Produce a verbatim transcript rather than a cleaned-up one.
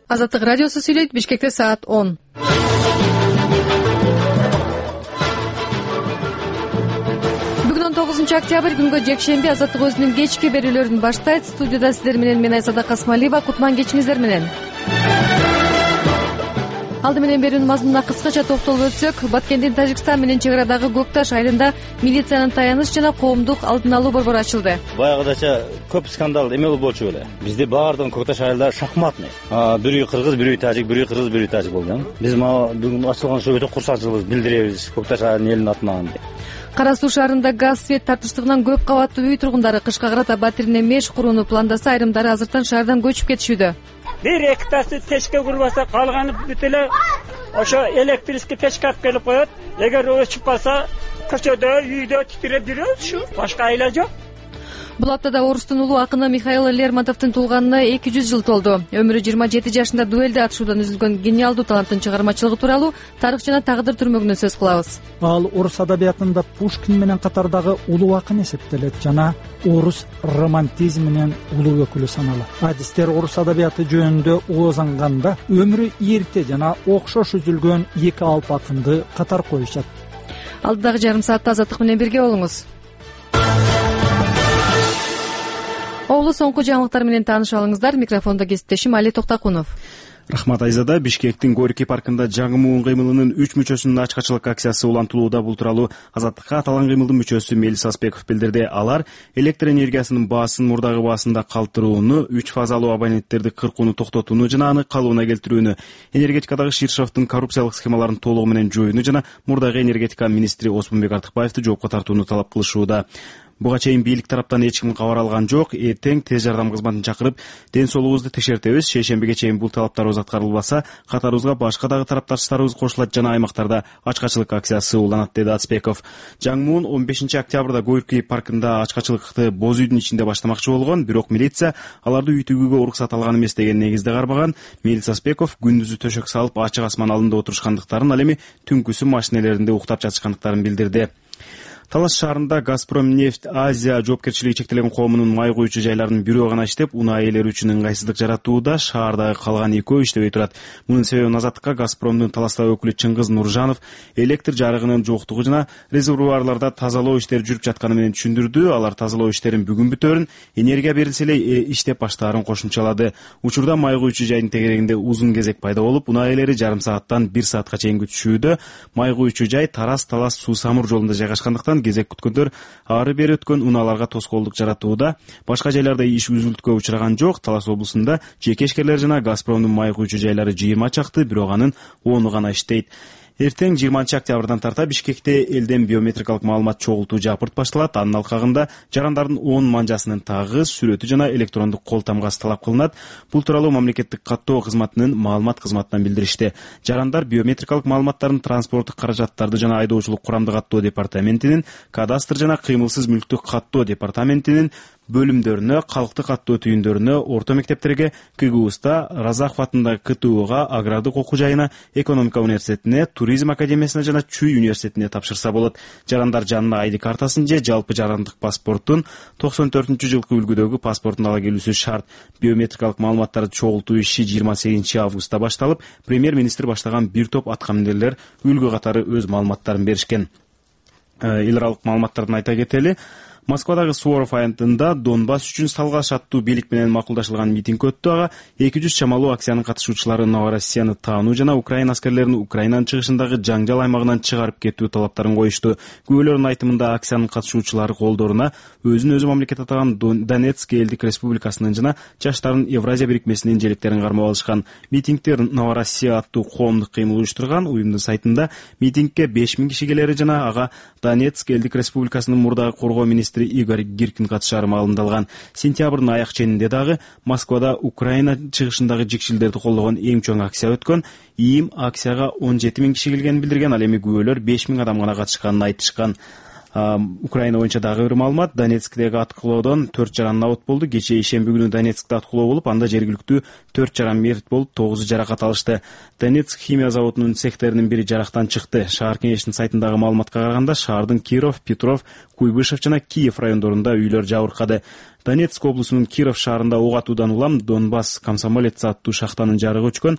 Азаттык радиосу сүйлөйт. Бишкекте саат он. Бүгүн он тогузунчу октябрь, күнгө жекшемби. Азаттык өзүнүн кечки берүүлөрүн баштайт. Студияда сиздер менен мен Айсада Касмалиева. Кутман кечиңиздер менен. Алды менен берүүнүн мазмунуна кыскача токтолуп өтсөк, Баткендин Тажикстан менен чек арадагы Көк Таш айылында милициянын таяныч жана коомдук алдын алуу борбору ачылды. Баягыдача көп скандал эме болчу беле. Бизде баардыгы Көк Таш айылда шахматный. Бирөө кыргыз, бирөө тажик, бирөө кыргыз, бирөө тажик болду. Биз бүгүн ачылган ошо өтө курсанчылык билдиребиз Көк Таш айылынын элинин атынан. Кара Суу шаарында газ свет тартыштыгынан көп кабаттуу үй тургундары кышка карата батирине меш курууну пландаса, айрымдары азыртан шаардан көчүп кетишүүдө. Бир эктасы печке курбаса, калганы бүт эле ошо электрический печке алып келип коет. Эгер өчүп калса, көчөдө, үйдө титиреп жүрөбүз, ушу. Башка айла жок. Бул аптада орустун улуу акыны Михаил Лермонтовдун туулганына эки жүз жыл толду. Өмүрү жыйырма жети жашында дуэлде атышуудан үзүлгөн гениалдуу таланттын чыгармачылыгы тууралуу тарых жана тагдыр түрмөгүнөн сөз кылабыз. Ал орус адабиятында Пушкин менен катардагы улуу акын эсептелет жана орус романтизминин улуу өкүлү саналат. Адистер орус адабияты жөнүндө ооз анганда өмүрү эрте жана окшош үзүлгөн эки алп акынды катар коюшат. Алдыдагы жарым саатта Азаттык менен бирге болуңуз. Оолу соңку жаңылыктар менен тааныша алыңыздар. Микрофондо кесиптешим Али Токтакунов. Рахмат Айзада. Бишкектин Горький паркында жаңы муун кыймылынын үч мүчөсүнүн ачкачылык акциясы улантылууда. Бул тууралуу Азаттыкка аталган кыймылдын мүчөсү Мелис Аспеков билдирди. Алар электр энергиясынын баасын мурдагы баасында калтырууну, үч фазалуу абоненттерди кыркууну токтотууну жана аны калыбына келтирүүнү, энергетикадагы Ширшовдун коррупциялык схемаларын толугу менен жоюуну жана мурдагы энергетика министри Осмонбек Артыкбаевди жоопко тартууну талап кылышууда. Буга чейин бийлик тараптан эч ким кабар алган жок. Эртең тез жардам кызматын чакырып, ден соолугубузду текшертебиз. Шейшембиге чейин бул талаптарыбыз аткарылбаса, катарыбызга башка дагы тарапташтарыбыз кошулат жана аймактарда ачкачылык акциясы уланат, деди Аспеков. Жаңмуун он бешинчи октябрда Горький паркында ачкачылыкты боз үйдүн ичинде баштамакчы болгон, бирок милиция аларды үй тигүүгө уруксат алган эмес деген негизде кармаган. Мелис Аспеков күндүзү төшөк салып ачык асман алдында отурушкандыктарын, ал эми түнкүсү машинелеринде уктап жатышкандыктарын билдирди. Талас шаарында Газпром нефть Азия жоопкерчилиги чектелген коомунун май куючу жайларынын бирөө гана иштеп, унаа ээлери үчүн ыңгайсыздык жаратууда. Шаардагы калган экөө иштебей турат. Мунун себебин Азаттыкка Газпромдун Таластагы өкүлү Чыңгыз Нуржанов электр жарыгынын жоктугу жана резервуарларда тазалоо иштери жүрүп жатканы менен түшүндүрдү. Алар тазалоо иштерин бүгүн бүтөөрүн, энергия берилсе эле иштеп баштаарын кошумчалады. Учурда май куючу жайдын тегерегинде узун кезек пайда болуп, унаа ээлери жарым сааттан бир саатка чейин күтүшүүдө. Май куючу жай Тарас-Талас суу-самур жолунда жайгашкандыктан кезек күткөндөр ары бери өткөн унааларга тоскоолдук жаратууда. Башка жайларда иш үзүлтүүгө учураган жок. Талас облусунда жеке ишкерлер жана Газпромдун май куючу жайлары жыйырма чакты, бирок анын ону гана иштейт. Эртең жыйырманчы октябрдан тарта Бишкекте элден биометрикалык маалымат чогултуу жапырт башталат. Анын алкагында жарандардын он манжасынын тагыз, сүрөтү жана электрондук кол тамгасы талап кылынат. Бул тууралуу мамлекеттик каттоо кызматынын маалымат кызматынан билдиришти. Жарандар биометрикалык маалыматтарын транспорттук каражаттарды жана айдоочулук курамдык каттоо департаментинин, кадастр жана кыймылсыз мүлктүк каттоо департаментинин бөлүмдөрүнө, калктык каттоо түйүндөрүнө, орто мектептерге, КГУста, Разахов атындагы КТУга, Агрардык окуу жайына, Экономика университетине, Туризм академиясына жана Чүй университетине тапшырса болот. Жарандар жанына айди картасын же жалпы жарандык паспорттун токсон төртүнчү жылкы үлгүдөгү паспортун ала келүүсү шарт. Биометрикалык маалыматтарды чогултуу иши жыйырма сегизинчи августта башталып, премьер-министр баштаган бир топ аткаминерлер үлгү катары өз маалыматтарын беришкен. Эл аралык маалыматтарын айта кетели. Москвадагы Суворов аянтында Донбасс үчүн салгаш аттуу бийлик менен макулдашылган митинг өттү. Ага эки жүз чамалуу акциянын катышуучулары Новороссияны таануу жана Украина аскерлерин Украинанын чыгышындагы жаңжал аймагынан чыгарып кетүү талаптарын коюшту. Күбөлөрдүн айтымында акциянын катышуучулары колдоруна өзүн өзү мамлекет атаган Донецк элдик республикасынын жана Жаштардын Евразия бирикмесинин желектерин кармап алышкан. Митингтер Новороссия аттуу коомдук кыймыл уюштурган. Уюмдун сайтында митингке беш миң киши келери жана ага Донецк элдик республикасынын мурдагы коргоо министри Игорь Гиркин катышары маалымдалган. Сентябрдын аяк ченинде дагы Москвада Украина чыгышындагы жикшилдерди колдогон эң чоң акция өткөн. ИИМ акцияга он жети миң киши келгенин билдирген. Ал эми күбөлөр беш миң адам гана катышканын айтышкан. Украина боюнча дагы бир маалымат: Донецктеги аткылоодон төрт жаран абот болду. Кечээ ишемби күнү Донецкте аткылоо болуп, анда жергиликтүү төрт жаран мерт болуп, тогузу жаракат алышты. Донецк химия заводунун цехтеринин бири жарактан чыкты. Шаар кеңешинин сайтындагы маалыматка караганда, шаардын Киров, Петров, Куйбышев жана Киев райондорунда үйлөр жабыркады. Донецк облусунун Киров шаарында ок атуудан улам Донбасс комсомолец аттуу шахтанын жарыгы өчкөн.